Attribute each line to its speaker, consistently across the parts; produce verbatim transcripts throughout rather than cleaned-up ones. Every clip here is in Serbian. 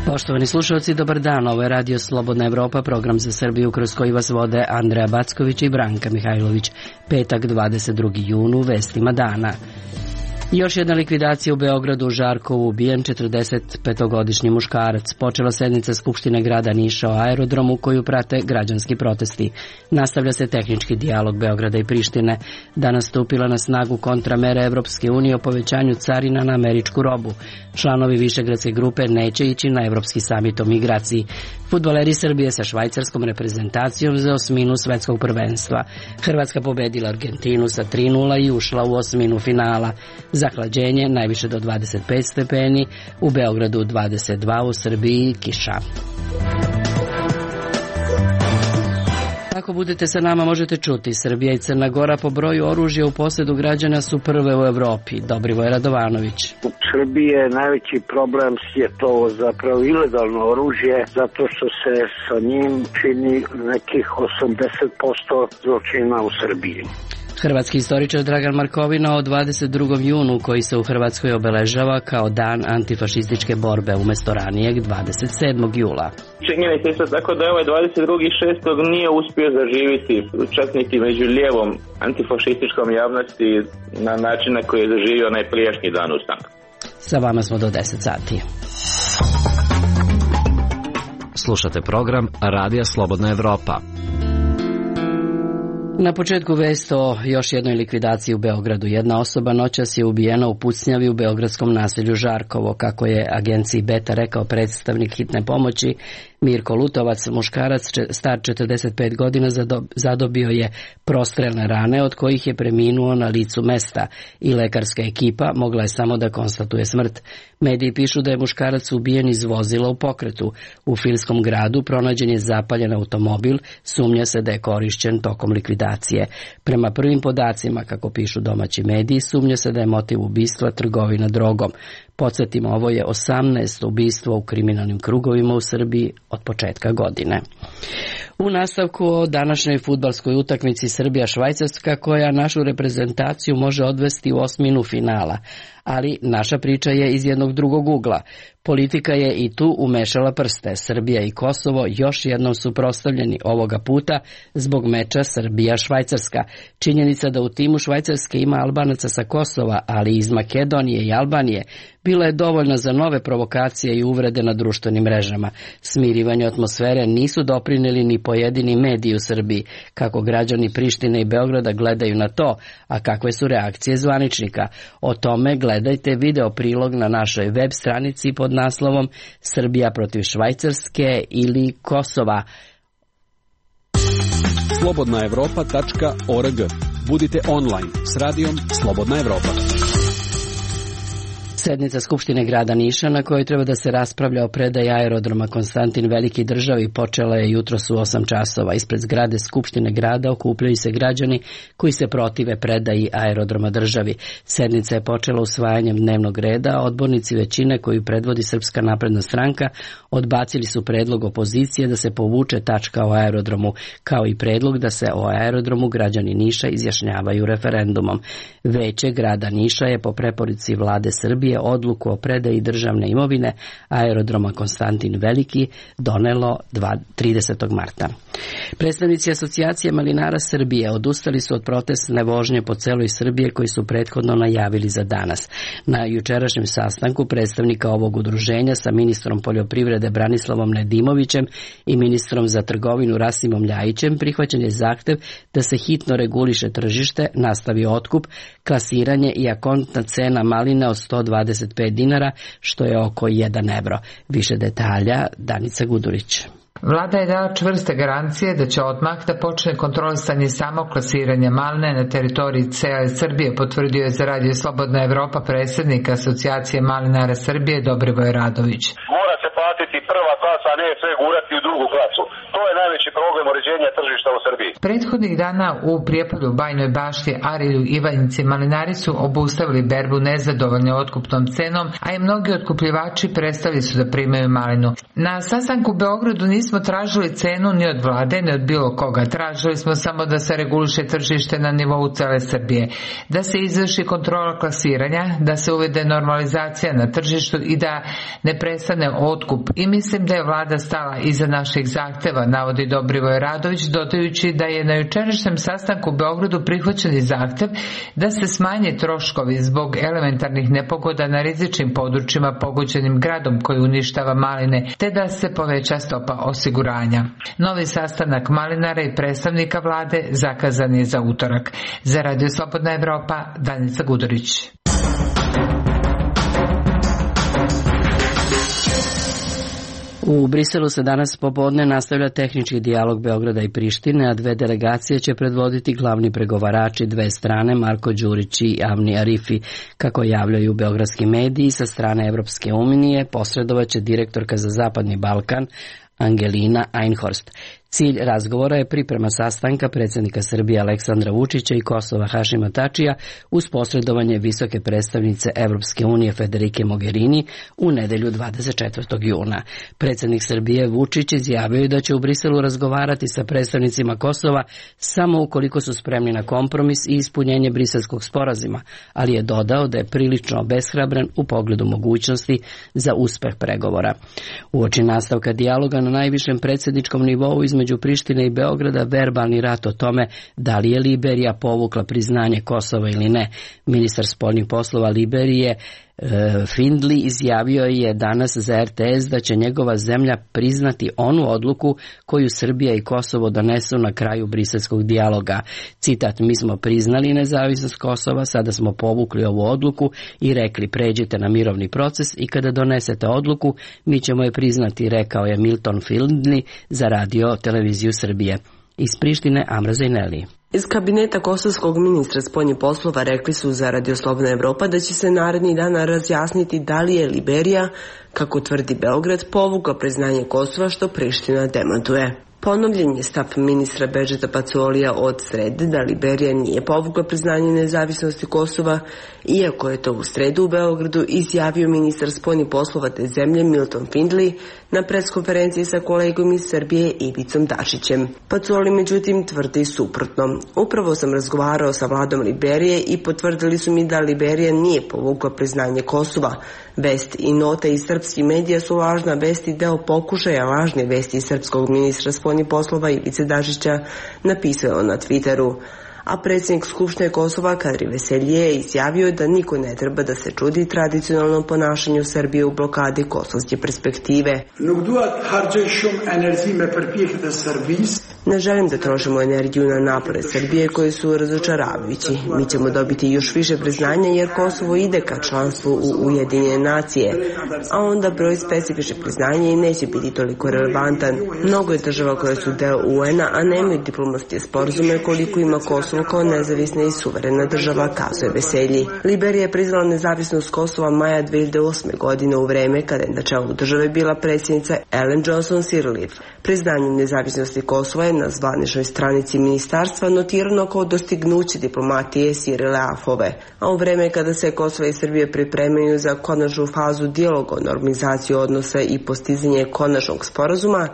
Speaker 1: Poštovani slušalci, dobar dan. Ovo je Radio Slobodna Evropa, program za Srbiju kroz koji vas vode Andreja Backović i Branka Mihajlović. Petak, dvadeset drugi jun, u vestima dana. Još jedna likvidacija u Beogradu, u Žarkovu ubijen četrdesetpetogodišnji muškarac. Počela sednica Skupštine grada Niša o aerodromu koju prate građanski protesti. Nastavlja se tehnički dijalog Beograda i Prištine. Danas stupila na snagu kontramere Evropske unije o povećanju carina na američku robu. Članovi Višegradske grupe neće ići na Evropski samit o migraciji. Fudbaleri Srbije sa švajcarskom reprezentacijom za osminu svetskog prvenstva. Hrvatska pobedila Argentinu sa tri nula i ušla u osminu finala. Zahlađenje najviše do dvadeset pet stepeni, u Beogradu dvadeset dva, u Srbiji kiša. Ako budete sa nama možete čuti, Srbija i Crna Gora po broju oružja u posjedu građana su prve u Evropi. Dobrivoj Radovanović.
Speaker 2: U Srbiji je najveći problem je to zapravo ilegalno oružje, zato što se sa njim čini nekih osamdeset posto zločina u Srbiji.
Speaker 1: Hrvatski istoričar Dragan Markovina o dvadeset drugom junu koji se u Hrvatskoj obeležava kao dan antifašističke borbe umjesto ranijeg dvadeset sedmog jula.
Speaker 3: Činjenica isto tako da ovaj dvadeset drugog šestog nije uspio zaživiti čak niti među lijevom antifašističkom javnosti na način na koji je zaživio onaj prijašnji dan ustanka.
Speaker 1: Sa vama smo do deset sati.
Speaker 4: Slušate program Radija Slobodna Evropa.
Speaker 1: Na početku vest o još jednoj likvidaciji u Beogradu. Jedna osoba noćas je ubijena u pucnjavi u beogradskom naselju Žarkovo, kako je agenciji Beta rekao predstavnik hitne pomoći. Mirko Lutovac, muškarac star četrdeset pet godina, zadobio je prostrelne rane od kojih je preminuo na licu mesta i lekarska ekipa mogla je samo da konstatuje smrt. Mediji pišu da je muškarac ubijen iz vozila u pokretu. U Filskom gradu pronađen je zapaljen automobil, sumnja se da je korišćen tokom likvidacije. Prema prvim podacima, kako pišu domaći mediji, sumnja se da je motiv ubistva trgovina drogom. Podsjetimo, ovo je osamnaesto ubistvo u kriminalnim krugovima u Srbiji od početka godine. U nastavku o današnjoj fudbalskoj utakmici Srbija-Švajcarska, koja našu reprezentaciju može odvesti u osminu finala. Ali naša priča je iz jednog drugog ugla. Politika je i tu umešala prste. Srbija i Kosovo još jednom su prostavljeni ovoga puta zbog meča Srbija-Švajcarska. Činjenica da u timu Švajcarske ima Albanaca sa Kosova, ali iz Makedonije i Albanije, bila je dovoljna za nove provokacije i uvrede na društvenim mrežama. Smirivanje atmosfere nisu doprinijeli ni pojedini mediji u Srbiji, kako građani Prištine i Beograda gledaju na to, a kakve su reakcije zvaničnika. O tome gledajte video prilog na našoj web stranici pod naslovom Srbija protiv Švajcarske ili Kosova.
Speaker 5: slobodna evropa tačka org. Budite online s radijom Slobodna Evropa.
Speaker 1: Sednica Skupštine grada Niša, na kojoj treba da se raspravlja o predaji aerodroma Konstantin Veliki državi, počela je jutros u osam časova. Ispred zgrade Skupštine grada okupljaju se građani koji se protive predaji aerodroma državi. Sednica je počela usvajanjem dnevnog reda. Odbornici većine koju predvodi Srpska napredna stranka odbacili su predlog opozicije da se povuče tačka o aerodromu, kao i predlog da se o aerodromu građani Niša izjašnjavaju referendumom. Veće grada Niša je po preporuci vlade Srbije odluku o predaji državne imovine aerodroma Konstantin Veliki donelo tridesetog marta. Predstavnici asocijacije malinara Srbije odustali su od protestne vožnje po celoj Srbiji koji su prethodno najavili za danas. Na jučerašnjem sastanku predstavnika ovog udruženja sa ministrom poljoprivrede Branislavom Nedimovićem i ministrom za trgovinu Rasimom Ljajićem prihvaćen je zahtev da se hitno reguliše tržište, nastavi otkup, klasiranje i akontna cena maline od sto dvadeset pet dinara, što je oko jedan evro. Više detalja Danica Gudurić.
Speaker 6: Vlada je dala čvrste garancije da će odmah da počne kontrolisanje samog klasiranja maline na teritoriji cele Srbije, potvrdio je za Radio Slobodna Evropa predsjednik asocijacije malinara Srbije Dobrivoj Radović.
Speaker 7: Mora se platiti prva klasa, a ne sve gurati u drugu klasu. To je najveći problem uređenja tržišta u Srbiji.
Speaker 6: Prethodnih dana u Prijepolju, Bajnoj Bašti, Arilju, Ivanjici, malinari su obustavili berbu nezadovoljni otkupnom cenom, a i mnogi otkupljivači prestali su da primaju malinu. Na sastanku u Beogradu nismo tražili cenu ni od vlade, ni od bilo koga. Tražili smo samo da se reguliše tržište na nivou cele Srbije, da se izvrši kontrola klasiranja, da se uvede normalizacija na tržištu i da ne prestane otkup. I mislim da je vlada stala iza naših zahteva, navodi Dobrivoje Radović, dodajući da je na jučerašnjem sastanku u Beogradu prihvaćen i zahtev da se smanje troškovi zbog elementarnih nepogoda na rizičnim područjima pogođenim gradom koji uništava maline, te da se poveća stopa osiguranja. Novi sastanak malinara i predstavnika vlade zakazan je za utorak. Za Radio Slobodna Evropa, Danica Gudurić.
Speaker 1: U Briselu se danas popodne nastavlja tehnički dijalog Beograda i Prištine, a dve delegacije će predvoditi glavni pregovarači dve strane, Marko Đurić i Avni Arifi. Kako javljaju beogradski mediji, sa strane Evropske unije posredovaće direktorka za Zapadni Balkan Angelina Einhorst. Cilj razgovora je priprema sastanka predsjednika Srbije Aleksandra Vučića i Kosova Hašima Tačija uz posredovanje visoke predstavnice Evropske unije Federike Mogherini u nedelju dvadeset četvrtog juna. Predsjednik Srbije Vučić izjavio je da će u Briselu razgovarati sa predstavnicima Kosova samo ukoliko su spremni na kompromis i ispunjenje briselskog sporazuma, ali je dodao da je prilično obeshrabren u pogledu mogućnosti za uspeh pregovora. Uoči nastavka dijaloga na najvišem predsjedničkom nivou između Prištine i Beograda verbalni rat o tome da li je Liberija povukla priznanje Kosova ili ne. Ministar spoljnih poslova Liberije Findley izjavio je danas za R T S da će njegova zemlja priznati onu odluku koju Srbija i Kosovo donesu na kraju briselskog dijaloga. Citat: "Mi smo priznali nezavisnost Kosova, sada smo povukli ovu odluku i rekli pređite na mirovni proces i kada donesete odluku mi ćemo je priznati", rekao je Milton Findley za radio televiziju Srbije. Iz Prištine Amra Zajneli.
Speaker 8: Iz kabineta kosovskog ministra spoljnih poslova rekli su za Radio Slobodna Evropa da će se narednih dana razjasniti da li je Liberija, kako tvrdi Beograd, povukla priznanje Kosova, što Priština demantuje. Ponovljen je stav ministra Bedžeta Pacolija od srede da Liberija nije povukla priznanje nezavisnosti Kosova, iako je to u sredu u Beogradu izjavio ministar spoljnih poslova te zemlje Milton Findley na preskonferenciji sa kolegom iz Srbije Ivicom Dačićem. Pacoli međutim tvrdi suprotno. Upravo sam razgovarao sa vladom Liberije i potvrdili su mi da Liberija nije povukla priznanje Kosova. Vest i nota iz srpskih medija su lažna vest i deo pokušaja lažne vesti srpskog ministra spoljnih poslova Ivice Dačića, napisao na Twitteru. A predsjednik Skupštine Kosova Kadri Veselije je izjavio da niko ne treba da se čudi tradicionalnom ponašanju Srbije u blokadi kosovske perspektive. Ne želim da trošimo energiju na napore Srbije koji su razočaravajući. Mi ćemo dobiti još više priznanja jer Kosovo ide ka članstvu u Ujedinjene nacije, a onda broj specifičnih priznanja i neće biti toliko relevantan. Mnogo je država koje su deo U N-a, a nemaju diplomatske sporazume koliko ima Kosovo kao nezavisna i suverena država, kazuje Veselji. Liberija je priznala nezavisnost Kosova maja dve hiljade osme. godine u vreme kada je na čelu države bila predsjednica Ellen Johnson Sirleaf. Priznanje nezavisnosti Kosova je na zvaničnoj stranici ministarstva notirano kao dostignuće diplomatije Sirleafove. A u vreme kada se Kosovo i Srbije pripremaju za konačnu fazu dijaloga o normalizaciji odnosa i postizanje konačnog sporazuma,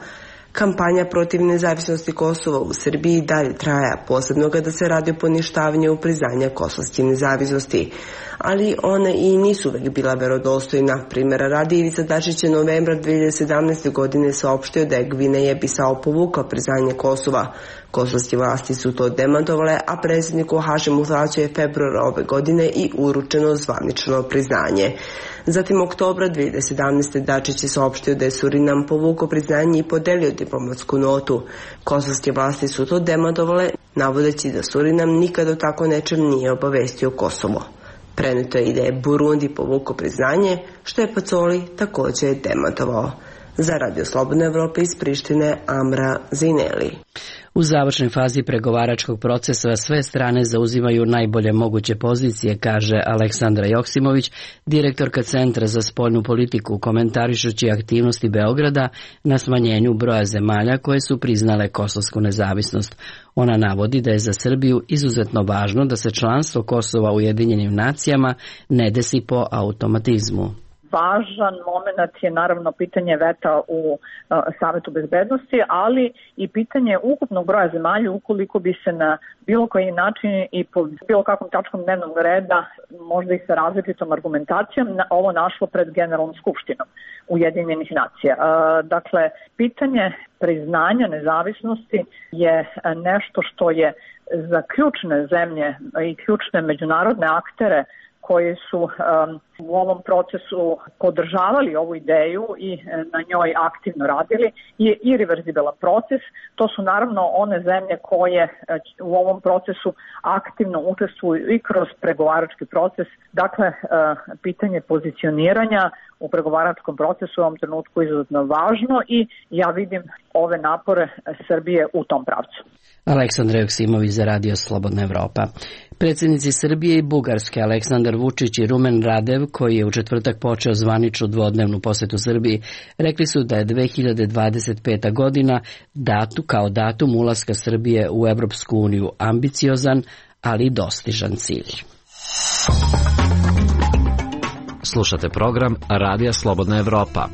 Speaker 8: kampanja protiv nezavisnosti Kosova u Srbiji dalje traja, posebno kada se radi o poništavanju priznanja kosovske nezavisnosti. Ali one i nisu uvek bila verodostojna. Primjera radi, Ivica Dačić je novembra dve hiljade sedamnaeste. godine saopštio da je Gvineja Bisao povukla priznanje Kosova. Kosovske vlasti su to demantovale, a predsjedniku Hašimu Tačiju je februara ove godine i uručeno zvanično priznanje. Zatim oktobra dve hiljade sedamnaeste. Dačić je saopštio da je Surinam povukao priznanje i podelio diplomatsku notu. Kosovske vlasti su to demantovale, navodeći da Surinam nikad o tako nečem nije obavestio Kosovo. Preneto je i da je Burundi povukao priznanje, što je Pacoli također demantovao. Za Radio Slobodne Evrope iz Prištine, Amra Zineli.
Speaker 1: U završnoj fazi pregovaračkog procesa sve strane zauzimaju najbolje moguće pozicije, kaže Aleksandra Joksimović, direktorka Centra za spoljnu politiku, komentarišući aktivnosti Beograda na smanjenju broja zemalja koje su priznale kosovsku nezavisnost. Ona navodi da je za Srbiju izuzetno važno da se članstvo Kosova u Ujedinjenim nacijama ne desi po automatizmu.
Speaker 9: Važan moment je naravno pitanje veta u uh, Savetu bezbednosti, ali i pitanje ukupnog broja zemalja ukoliko bi se na bilo koji način i po bilo kakvom tačkom dnevnog reda, možda i sa različitom argumentacijom, na, ovo našlo pred Generalnom skupštinom Ujedinjenih nacija. Uh, dakle, pitanje priznanja nezavisnosti je nešto što je za ključne zemlje i ključne međunarodne aktere koji su um, u ovom procesu podržavali ovu ideju i na njoj aktivno radili, je irreverzibilan proces. To su naravno one zemlje koje u ovom procesu aktivno učestvuju i kroz pregovarački proces. Dakle, pitanje pozicioniranja u pregovaračkom procesu u ovom trenutku je izuzetno važno i ja vidim ove napore Srbije u tom pravcu.
Speaker 1: Aleksandra Joksimović za Radio Slobodna Evropa. Predsjednici Srbije i Bugarske Aleksandar Vučić i Rumen Radev, koji je u četvrtak počeo zvaničnu dvodnevnu posetu Srbiji, rekli su da je dve hiljade dvadeset peta godina datu kao datum ulaska Srbije u Evropsku uniju ambiciozan, ali dostižan cilj.
Speaker 4: Slušate program Radija Slobodna Evropa.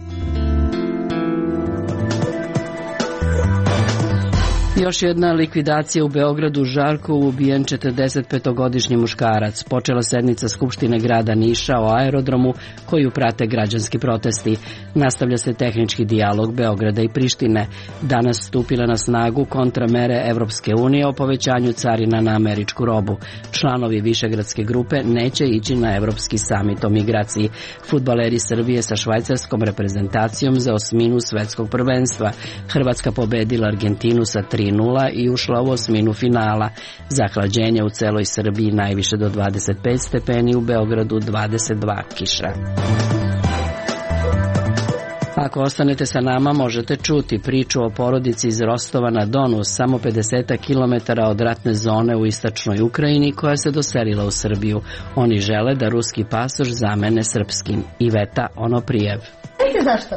Speaker 1: Još jedna likvidacija u Beogradu, Žarkovu ubijen četrdesetpetogodišnji muškarac. Počela sednica Skupštine grada Niša o aerodromu koju prate građanski protesti. Nastavlja se tehnički dijalog Beograda i Prištine. Danas stupile na snagu kontramere Evropske unije o povećanju carina na američku robu. Članovi Višegradske grupe neće ići na Evropski samit o migraciji. Fudbaleri Srbije sa švajcarskom reprezentacijom za osminu svetskog prvenstva. Hrvatska pobedila Argentinu sa tri nula i ušla u osminu finala. Zahlađenje u celoj Srbiji najviše do dvadeset pet stepeni, u Beogradu dvadeset dva, kiša. Ako ostanete sa nama, možete čuti priču o porodici iz Rostova na Donu, samo pedeset kilometara od ratne zone u istočnoj Ukrajini, koja se doselila u Srbiju. Oni žele da ruski pasoš zamene srpskim. Iveta Onoprijev.
Speaker 10: Zašto?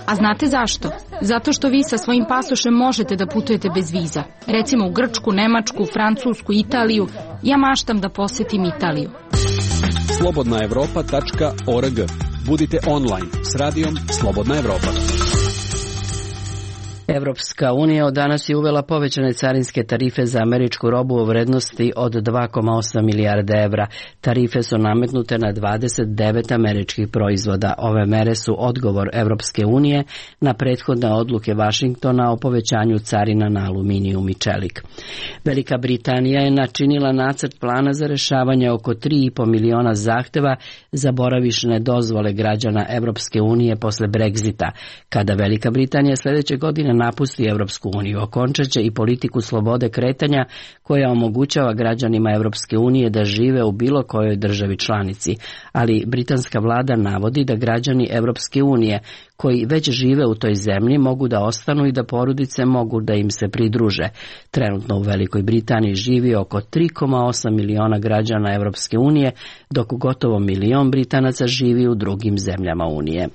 Speaker 10: A znate zašto? Zato što vi sa svojim pasošem možete da putujete bez viza. Recimo u Grčku, Nemačku, Francusku, Italiju. Ja maštam da posetim Italiju.
Speaker 5: slobodna evropa tačka org. Budite online s radijom Slobodna Evropa.
Speaker 1: Evropska unija od danas je uvela povećane carinske tarife za američku robu u vrednosti od dva zarez osam milijarde evra. Tarife su nametnute na dvadeset devet američkih proizvoda. Ove mere su odgovor Evropske unije na prethodne odluke Vašingtona o povećanju carina na aluminijum i čelik. Velika Britanija je načinila nacrt plana za rešavanje oko tri i po miliona zahteva za boravišne dozvole građana Evropske unije posle Brexita. Kada Velika Britanija sljedeće godine napusti Evropsku uniju, okončaće i politiku slobode kretanja koja omogućava građanima Evropske unije da žive u bilo kojoj državi članici. Ali britanska vlada navodi da građani Evropske unije koji već žive u toj zemlji mogu da ostanu i da porodice mogu da im se pridruže. Trenutno u Velikoj Britaniji živi oko tri zarez osam miliona građana Evropske unije, dok gotovo milion Britanaca živi u drugim zemljama Unije.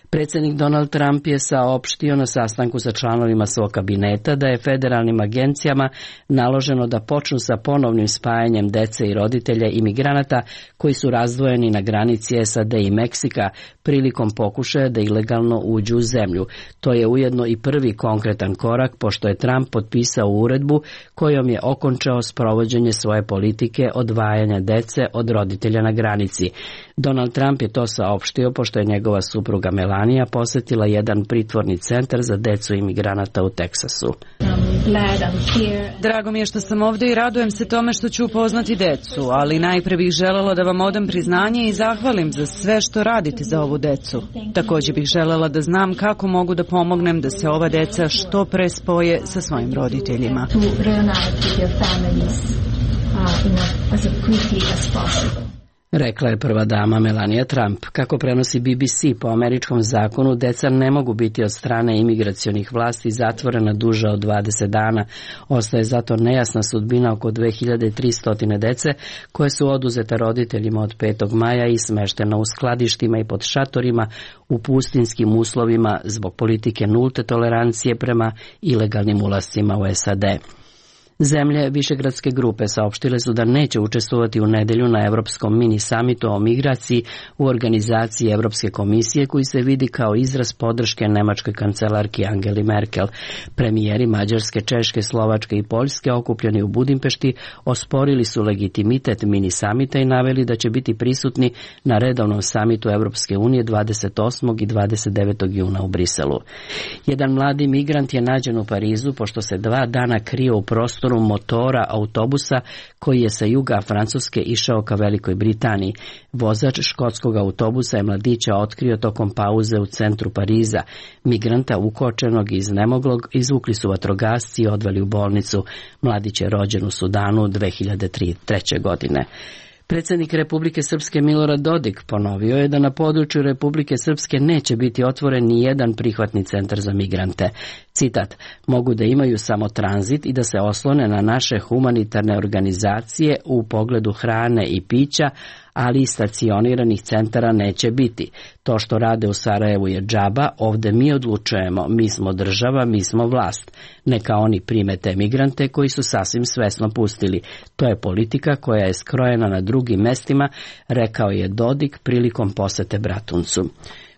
Speaker 1: Predsjednik Donald Trump je saopštio na sastanku sa članovima svog kabineta da je federalnim agencijama naloženo da počnu sa ponovnim spajanjem dece i roditelja imigranata koji su razdvojeni na granici S A D i Meksika prilikom pokušaja da ilegalno uđu u zemlju. To je ujedno i prvi konkretan korak, pošto je Trump potpisao uredbu kojom je okončao sprovođenje svoje politike odvajanja dece od roditelja na granici. Donald Trump je to saopštio pošto je njegova supruga Melania posjetila jedan pritvorni centar za decu imigranata u Teksasu.
Speaker 11: Drago mi je što sam ovdje i radujem se tome što ću upoznati decu, ali najprije bih željela da vam odam priznanje i zahvalim za sve što radite za ovu decu. Također bih željela da znam kako mogu da pomognem da se ova deca što pre spoje sa svojim roditeljima.
Speaker 1: Rekla je prva dama Melania Trump. Kako prenosi B B C, po američkom zakonu deca ne mogu biti od strane imigracionih vlasti zatvorena duže od dvadeset dana. Ostaje zato nejasna sudbina oko dve hiljade tristo dece koje su oduzete roditeljima od petog maja i smeštena u skladištima i pod šatorima u pustinskim uslovima zbog politike nulte tolerancije prema ilegalnim ulascima u S A D. Zemlje Višegradske grupe saopštile su da neće učestvovati u nedelju na Evropskom mini samitu o migraciji u organizaciji Evropske komisije koji se vidi kao izraz podrške nemačkoj kancelarki Angeli Merkel. Premijeri Mađarske, Češke, Slovačke i Poljske okupljeni u Budimpešti osporili su legitimitet mini samita i naveli da će biti prisutni na redovnom samitu Evropske unije dvadeset osmog i dvadeset devetog juna u Briselu. Jedan mladi migrant je nađen u Parizu pošto se dva dana krio u prostoru motora autobusa koji je sa juga Francuske išao ka Velikoj Britaniji. Vozač škotskog autobusa je mladića otkrio tokom pauze u centru Pariza. Migranta ukočenog i iznemoglog izvukli su vatrogasci i odveli u bolnicu. Mladić je rođen u Sudanu dve hiljade treće. godine. Predsjednik Republike Srpske Milorad Dodik ponovio je da na području Republike Srpske neće biti otvoren ni jedan prihvatni centar za migrante. Citat, mogu da imaju samo tranzit i da se oslone na naše humanitarne organizacije u pogledu hrane i pića, ali i stacioniranih centara neće biti. To što rade u Sarajevu je džaba, ovde mi odlučujemo, mi smo država, mi smo vlast. Neka oni prime te migrante koji su sasvim svesno pustili. To je politika koja je skrojena na drugim mestima, rekao je Dodik prilikom posete Bratuncu.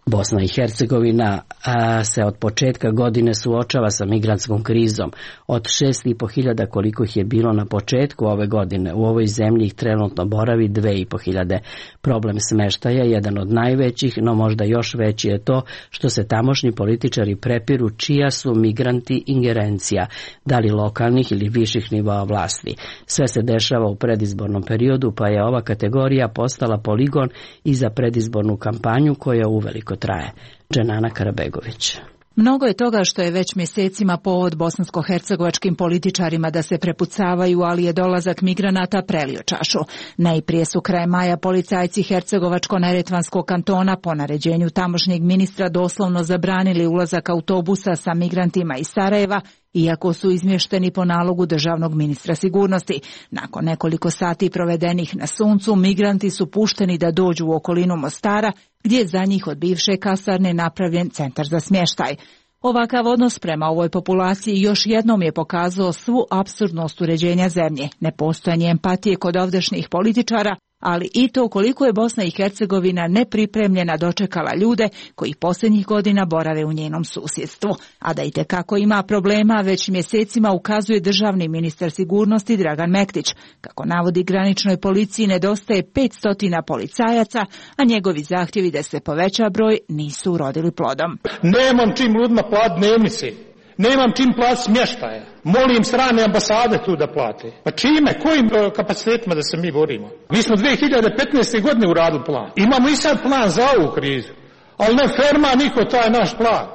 Speaker 1: Bosna i Hercegovina a, se od početka godine suočava sa migrantskom krizom. Od šest i po hiljada koliko ih je bilo na početku ove godine, u ovoj zemlji ih trenutno boravi dve i po hiljade. Problem smeštaja je jedan od najvećih, no možda još veći je to što se tamošnji političari prepiru čija su migranti ingerencija, da li lokalnih ili viših nivoa vlasti. Sve se dešava u predizbornom periodu, pa je ova kategorija postala poligon i za predizbornu kampanju koja uveliko traje. Dženana Karabegović.
Speaker 12: Mnogo je toga što je već mjesecima povod bosansko-hercegovačkim političarima da se prepucavaju, ali je dolazak migranata prelio čašu. Najprije su krajem maja policajci Hercegovačko-neretvanskog kantona po naređenju tamošnjeg ministra doslovno zabranili ulazak autobusa sa migrantima iz Sarajeva, iako su izmješteni po nalogu državnog ministra sigurnosti. Nakon nekoliko sati provedenih na suncu, migranti su pušteni da dođu u okolinu Mostara, gdje je za njih od bivše kasarne napravljen centar za smještaj. Ovakav odnos prema ovoj populaciji još jednom je pokazao svu apsurdnost uređenja zemlje, nepostojanje empatije kod ovdašnjih političara, ali i to koliko je Bosna i Hercegovina nepripremljena dočekala ljude koji posljednjih godina borave u njenom susjedstvu. A da itekako ima problema, već mjesecima ukazuje državni ministar sigurnosti Dragan Mektić. Kako navodi, graničnoj policiji nedostaje petsto policajaca, a njegovi zahtjevi da se poveća broj nisu urodili plodom.
Speaker 13: Nemam čim ljudima plat dnevnice. Nemam čim plat smještaja. Molim strane ambasade tu da plate. Pa čime, kojim kapacitetima da se mi borimo? Mi smo dve hiljade petnaeste. godine uradili plan. Imamo i sad plan za ovu krizu. Ali ne ferma niko taj naš plan.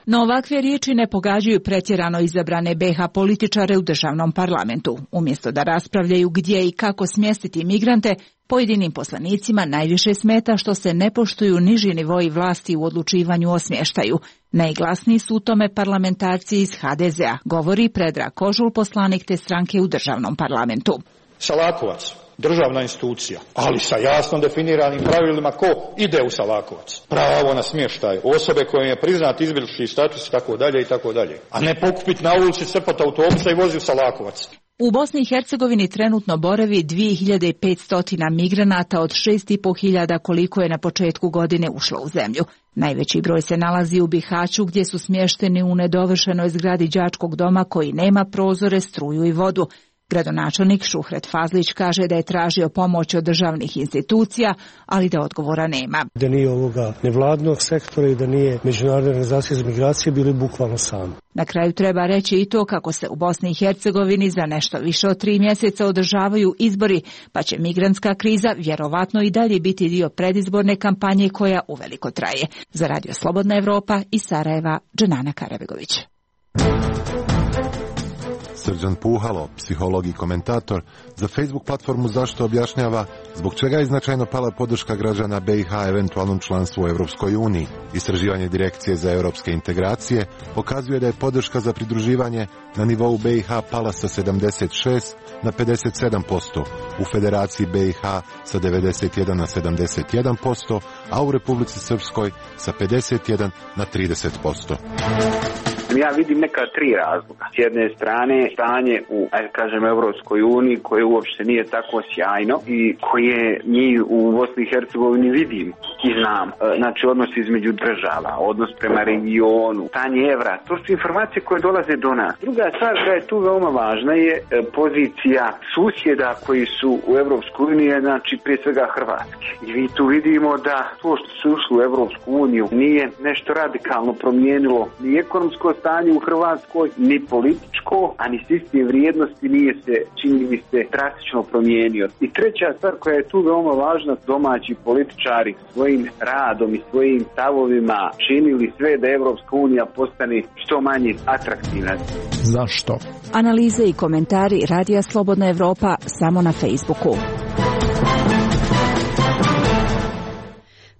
Speaker 12: No ovakve riječi ne pogađaju pretjerano izabrane B iH političare u državnom parlamentu. Umjesto da raspravljaju gdje i kako smjestiti migrante, pojedinim poslanicima najviše smeta što se ne poštuju niži nivoi vlasti u odlučivanju o smještaju. Najglasniji su u tome parlamentarci iz H D Z a, govori Predrag Kožul, poslanik te stranke u državnom parlamentu.
Speaker 13: Salakovac, državna institucija, ali sa jasno definiranim pravilima ko ide u Salakovac. Pravo na smještaj, osobe kojim je priznat izbjeglički status i tako dalje i tako dalje. A ne pokupiti na ulici crpat autobusa i vozi u Salakovac.
Speaker 12: U Bosni i Hercegovini trenutno boravi dvije hiljade petsto migranata od šest i po hiljada koliko je na početku godine ušlo u zemlju. Najveći broj se nalazi u Bihaću gdje su smješteni u nedovršenoj zgradi đačkog doma koji nema prozore, struju i vodu. Gradonačelnik Šuhret Fazlić kaže da je tražio pomoć od državnih institucija, ali da odgovora nema.
Speaker 14: Da nije ovoga nevladnog sektora i da nije Međunarodne organizacije za migracije, bili bukvalno sami.
Speaker 12: Na kraju treba reći i to kako se u Bosni i Hercegovini za nešto više od tri mjeseca održavaju izbori, pa će migrantska kriza vjerovatno i dalje biti dio predizborne kampanje koja uveliko traje. Za Radio Slobodna Evropa iz Sarajeva, Dženana Karabegović.
Speaker 15: Srđan Puhalo, psiholog i komentator, za Facebook platformu Zašto objašnjava zbog čega je značajno pala podrška građana B i H eventualnom članstvu u Evropskoj uniji. Istraživanje Direkcije za europske integracije pokazuje da je podrška za pridruživanje na nivou B i H pala sa sedamdeset šest na pedeset sedam posto, u Federaciji B i H sa devedeset jedan na sedamdeset jedan posto, a u Republici Srpskoj sa pedeset jedan na trideset posto.
Speaker 16: Ja vidim neka tri razloga. S jedne strane stanje u, ajde kažem, Evropskoj uniji koje uopšte nije tako sjajno i koje mi u Bosni i Hercegovini vidimo i znam. Znači odnos između država, odnos prema regionu, stanje evra, to su informacije koje dolaze do nas. Druga stvar koja je tu veoma važna je pozicija susjeda koji su u Evropskoj uniji, znači prije svega Hrvatske. I vi tu vidimo da to što su ušli u Evropsku uniju nije nešto radikalno promijenilo ni ekonomsko stanje u Hrvatskoj, ni političko, a ni sistem vrijednosti nije se, čini mi se, drastično promijenio. I treća stvar koja je tu veoma važna, domaći političari svojim radom i svojim stavovima činili sve da Evropska unija postane što manje atraktivna.
Speaker 12: Zašto? Analize i komentari Radija Slobodna Evropa samo na Facebooku.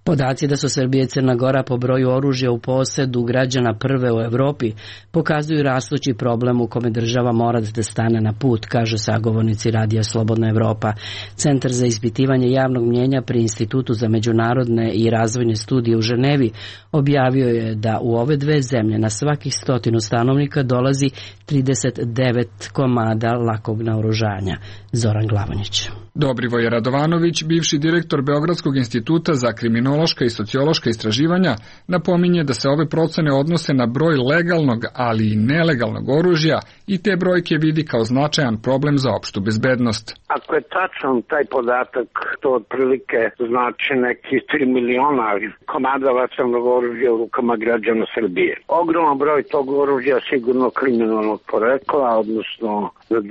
Speaker 1: Podaci da su Srbija i Crna Gora po broju oružja u posedu građana prve u Evropi pokazuju rastući problem u kome država mora da stane na put, kažu sagovornici Radija Slobodna Evropa. Centar za ispitivanje javnog mnjenja pri Institutu za međunarodne i razvojne studije u Ženevi objavio je da u ove dve zemlje na svakih stotinu stanovnika dolazi trideset devet komada lakog naoružanja. Zoran Glavonjić.
Speaker 17: Dobrivoje Radovanović, bivši direktor Beogradskog instituta za kriminološka i sociološka istraživanja, napominje da se ove procene odnose na broj legalnog, ali i nelegalnog oružja i te brojke vidi kao značajan problem za opštu bezbednost.
Speaker 2: Ako je tačan taj podatak, to otprilike znači neki tri miliona komada vatrenog oružja u rukama građana Srbije. Ogroman broj tog oružja sigurno kriminalnog porekla, odnosno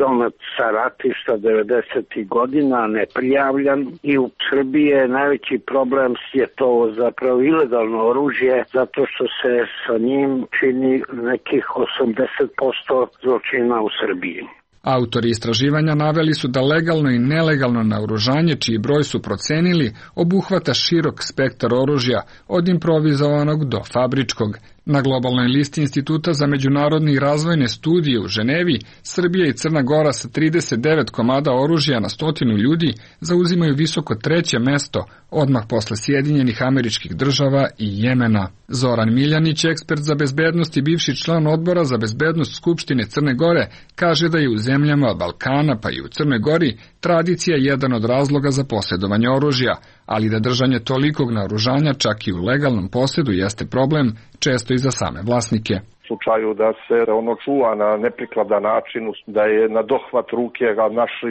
Speaker 2: donet sa ratišta devedesetih godina, neprijavljan, i u Srbiji je najveći problem je to zapravo ilegalno oružje, zato što se sa njim čini nekih osamdeset posto zločina u Srbiji.
Speaker 17: Autori istraživanja naveli su da legalno i nelegalno naoružanje, čiji broj su procenili, obuhvata širok spektar oružja, od improvizovanog do fabričkog. Na globalnoj listi Instituta za međunarodne i razvojne studije u Ženevi, Srbija i Crna Gora sa trideset devet komada oružja na stotinu ljudi zauzimaju visoko treće mesto, odmah posle Sjedinjenih Američkih Država i Jemena. Zoran Miljanić, ekspert za bezbednost i bivši član odbora za bezbednost Skupštine Crne Gore, kaže da je u zemljama Balkana pa i u Crnoj Gori tradicija jedan od razloga za posjedovanje oružja, ali da držanje tolikog naoružanja čak i u legalnom posjedu jeste problem, često i za same vlasnike.
Speaker 18: U slučaju da se ono čuva na neprikladan način, da je na dohvat ruke, a naši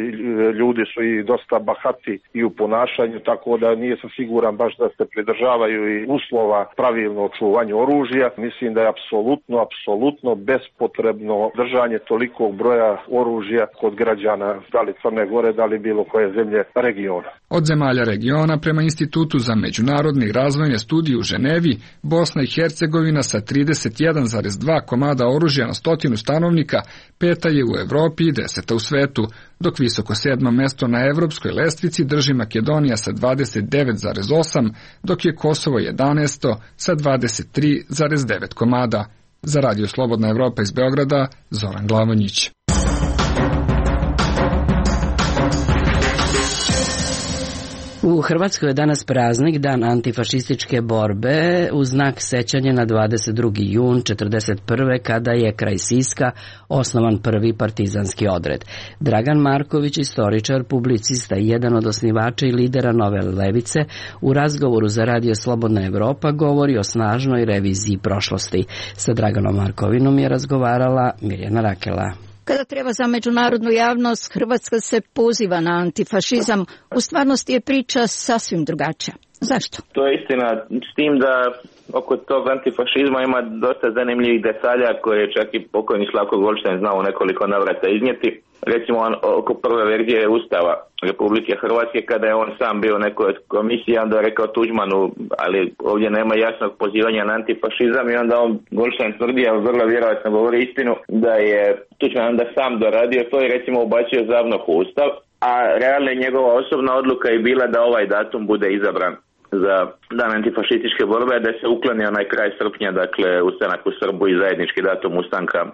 Speaker 18: ljudi su i dosta bahati i u ponašanju, tako da nije sam siguran baš da se pridržavaju i uslova pravilno čuvanju oružja. Mislim da je apsolutno, apsolutno bespotrebno držanje tolikog broja oružja kod građana, da li Crne Gore, da li bilo koje zemlje regiona.
Speaker 17: Od zemalja regiona, prema Institutu za međunarodne i razvojne studije u Ženevi, Bosna i Hercegovina sa trideset jedan zarez dva komada oružja na stotinu stanovnika peta je u Evropi i deseta u svetu, dok visoko sedmo mesto na evropskoj lestvici drži Makedonija sa dvadeset devet zarez osam, dok je Kosovo jedanaesto sa dvadeset tri zarez devet komada. Za Radio Slobodna Evropa iz Beograda, Zoran Glavonjić.
Speaker 1: U Hrvatskoj je danas praznik, dan antifašističke borbe, u znak sećanja na dvadeset drugi jun četrdeset prve kada je kraj Siska osnovan prvi partizanski odred. Dragan Marković, istoričar, publicista i jedan od osnivača i lidera Nove levice, u razgovoru za Radio Slobodna Evropa govori o snažnoj reviziji prošlosti. Sa Draganom Markovinom je razgovarala Mirjana Rakela.
Speaker 19: Kada treba za međunarodnu javnost, Hrvatska se poziva na antifašizam. U stvarnosti je priča sasvim drugačija. Zašto?
Speaker 3: To je istina, s tim da oko tog antifašizma ima dosta zanimljivih detalja koje je čak i pokojni Slavko Goldstein znao u nekoliko navrata iznijeti. Recimo oko prve verzije Ustava Republike Hrvatske, kada je on sam bio u nekoj komisiji, onda je rekao Tuđmanu, ali ovdje nema jasnog pozivanja na antifašizam, i onda on Goldstein tvrdi, ali vrlo vjerojatno govori istinu, da je Tuđman onda sam doradio to i recimo ubacio ZAVNOH u Ustav, a realna njegova osobna odluka je bila da ovaj datum bude izabran za dan antifašističke borbe, da se ukloni onaj kraj srpnja, dakle ustanak u Srbu i zajednički datum ustanka e,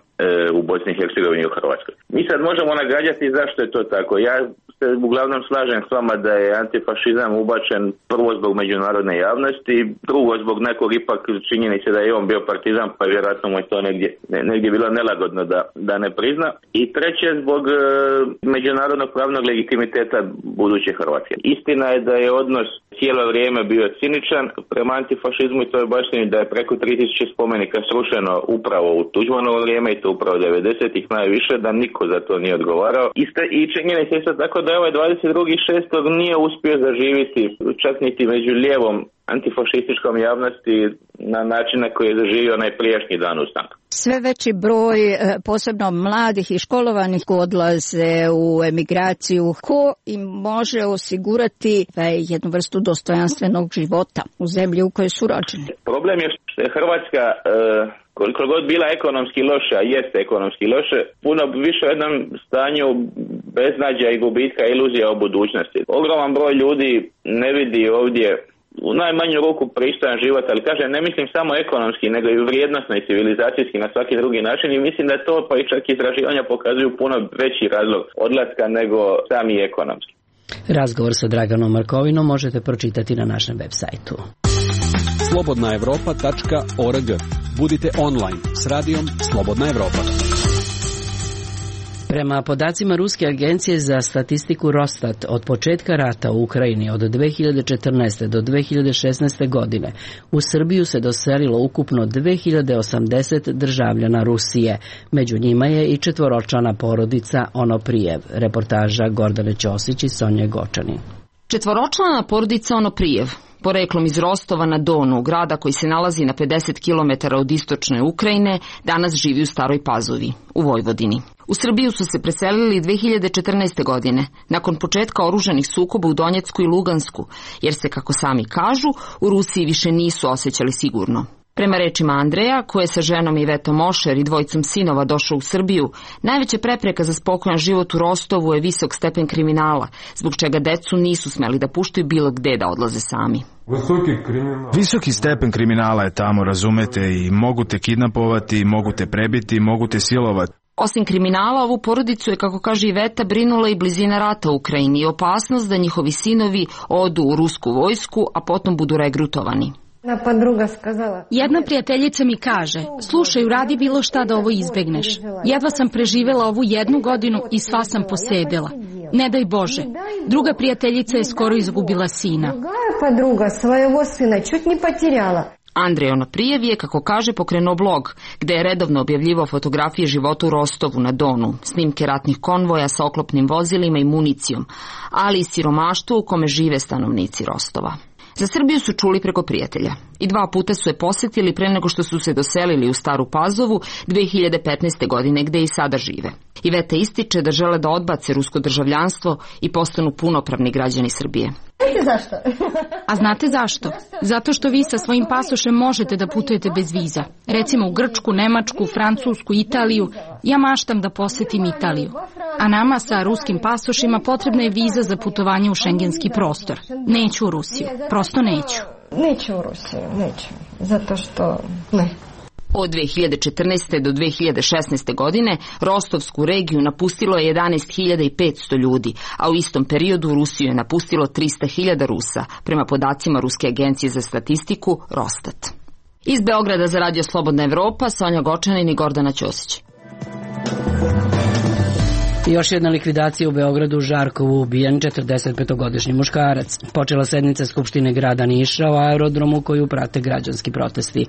Speaker 3: u Bosni i Hercegovini i u Hrvatskoj. Mi sad možemo nagađati zašto je to tako. Ja se uglavnom slažem s vama da je antifašizam ubačen prvo zbog međunarodne javnosti, drugo zbog nekog ipak činjenice da je on bio partizan, pa vjerojatno mu je to negdje, negdje bilo nelagodno da, da ne prizna. I treće zbog e, međunarodnog pravnog legitimiteta buduće Hrvatske. Istina je da je odnos cijelo vrijeme bio ciničan prema antifašizmu i to je baštini da je preko tri tisuće spomenika srušeno upravo u Tuđmanovo vrijeme i to upravo devedesetih najviše, da niko za to nije odgovarao. Iste, i činjenica je isto tako da je ovaj dvadeset drugog šestog nije uspio zaživiti čak niti među lijevom antifašističkom javnosti na način na koji je zaživio onaj prijašnji dan ustanka.
Speaker 19: Sve veći broj, posebno mladih i školovanih, odlaze u emigraciju. Ko im može osigurati jednu vrstu dostojanstvenog života u zemlji u kojoj su rođeni?
Speaker 3: Problem je što je Hrvatska, koliko god bila ekonomski loša, jeste ekonomski loše, puno više u jednom stanju beznađa i gubitka iluzija o budućnosti. Ogroman broj ljudi ne vidi ovdje u najmanju ruku pristojan život, ali kažem, ne mislim samo ekonomski, nego i vrijednosno i civilizacijski na svaki drugi način, i mislim da to pa i čak istraživanja pokazuju puno veći razlog odlaska nego sami ekonomski.
Speaker 1: Razgovor sa Draganom Markovinom možete pročitati na našem web sajtu.
Speaker 5: slobodna evropa tačka org. Budite online s radijom Slobodna Evropa.
Speaker 1: Prema podacima Ruske agencije za statistiku Rostat, od početka rata u Ukrajini od dve hiljade četrnaeste do dve hiljade šesnaeste godine u Srbiju se doselilo ukupno dve hiljade osamdeset državljana Rusije. Među njima je i četvoročlana porodica Onoprijev. Reportaža Gordane Ćosić i Sonje Gočanin.
Speaker 20: Četvoročlana porodica Onoprijev, poreklom iz Rostova na Donu, grada koji se nalazi na pedeset kilometara od istočne Ukrajine, danas živi u Staroj Pazovi, u Vojvodini. U Srbiju su se preselili dve hiljade četrnaeste. godine, nakon početka oružanih sukoba u Donjecku i Lugansku, jer se, kako sami kažu, u Rusiji više nisu osjećali sigurno. Prema rečima Andreja, koji je sa ženom Ivetom Mošer i dvojicom sinova došao u Srbiju, najveća prepreka za spokojan život u Rostovu je visok stepen kriminala, zbog čega decu nisu smeli da puštaju bilo gde da odlaze sami.
Speaker 21: Visoki stepen kriminala je tamo, razumete, i mogu te kidnapovati, mogu te prebiti, mogu te silovati.
Speaker 20: Osim kriminala, ovu porodicu je, kako kaže Iveta, brinula i blizina rata u Ukrajini i opasnost da njihovi sinovi odu u rusku vojsku, a potom budu regrutovani.
Speaker 10: Jedna prijateljica mi kaže, slušaj, uradi bilo šta da ovo izbegneš. Jedva sam preživela ovu jednu godinu i sva sam posedela. Ne daj Bože. Druga prijateljica je skoro izgubila sina.
Speaker 20: Andrej Onoprijev je, kako kaže, pokrenuo blog, gde je redovno objavljivao fotografije života u Rostovu na Donu, snimke ratnih konvoja sa oklopnim vozilima i municijom, ali i siromaštvo u kome žive stanovnici Rostova. Za Srbiju su čuli preko prijatelja i dva puta su je posjetili pre nego što su se doselili u Staru Pazovu dve hiljade petnaeste. godine, gde i sada žive. Iveta ističe da žele da odbace rusko državljanstvo i postanu punopravni građani Srbije.
Speaker 10: Znate zašto? A znate zašto? Zato što vi sa svojim pasošem možete da putujete bez viza. Recimo u Grčku, Nemačku, Francusku, Italiju. Ja maštam da posjetim Italiju. A nama sa ruskim pasošima potrebna je viza za putovanje u šengenski prostor. Neću u Rusiju. Prosto neću.
Speaker 22: Neću u Rusiju, neću. Zato što ne.
Speaker 20: Od dve hiljade četrnaeste. do dve hiljade šesnaeste. godine Rostovsku regiju napustilo je jedanaest hiljada petsto ljudi, a u istom periodu Rusiju je napustilo trista hiljada Rusa, prema podacima Ruske agencije za statistiku Rostat. Iz Beograda za Radio Slobodna Evropa, Sonja Gočanin i Gordana Ćosić.
Speaker 1: Još jedna likvidacija u Beogradu, u Žarkovu ubijen četrdesetpetogodišnji muškarac. Počela sednica Skupštine grada Niša o aerodromu koju prate građanski protesti.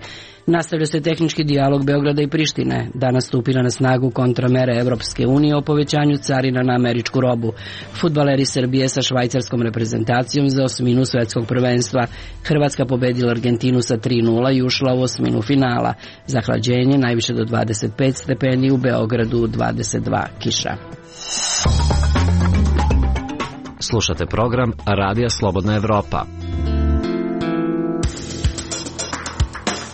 Speaker 1: Nastavlja se tehnički dijalog Beograda i Prištine. Danas stupila na snagu kontramere Evropske unije o povećanju carina na američku robu. Fudbaleri Srbije sa švajcarskom reprezentacijom za osminu svetskog prvenstva. Hrvatska pobedila Argentinu sa tri nula i ušla u osminu finala. Zahlađenje najviše do dvadeset pet stepeni, u Beogradu dvadeset dva, kiša.
Speaker 4: Slušate program Radija Slobodna Evropa.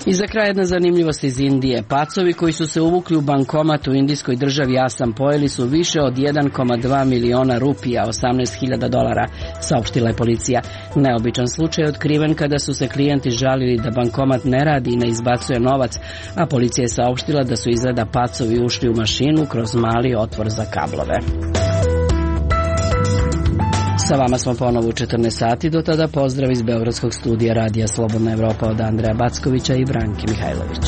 Speaker 1: I za kraj jedna zanimljivost iz Indije. Pacovi koji su se uvukli u bankomat u indijskoj državi Asam pojeli su više od jedan zarez dva miliona rupija, osamnaest hiljada dolara, saopštila je policija. Neobičan slučaj je otkriven kada su se klijenti žalili da bankomat ne radi i ne izbacuje novac, a policija je saopštila da su izgleda pacovi ušli u mašinu kroz mali otvor za kablove. Sa vama smo ponovo u četrnaest sati, do tada pozdrav iz Beogradskog studija Radija Slobodna Evropa od Andreja Backovića i Branke Mihajlović.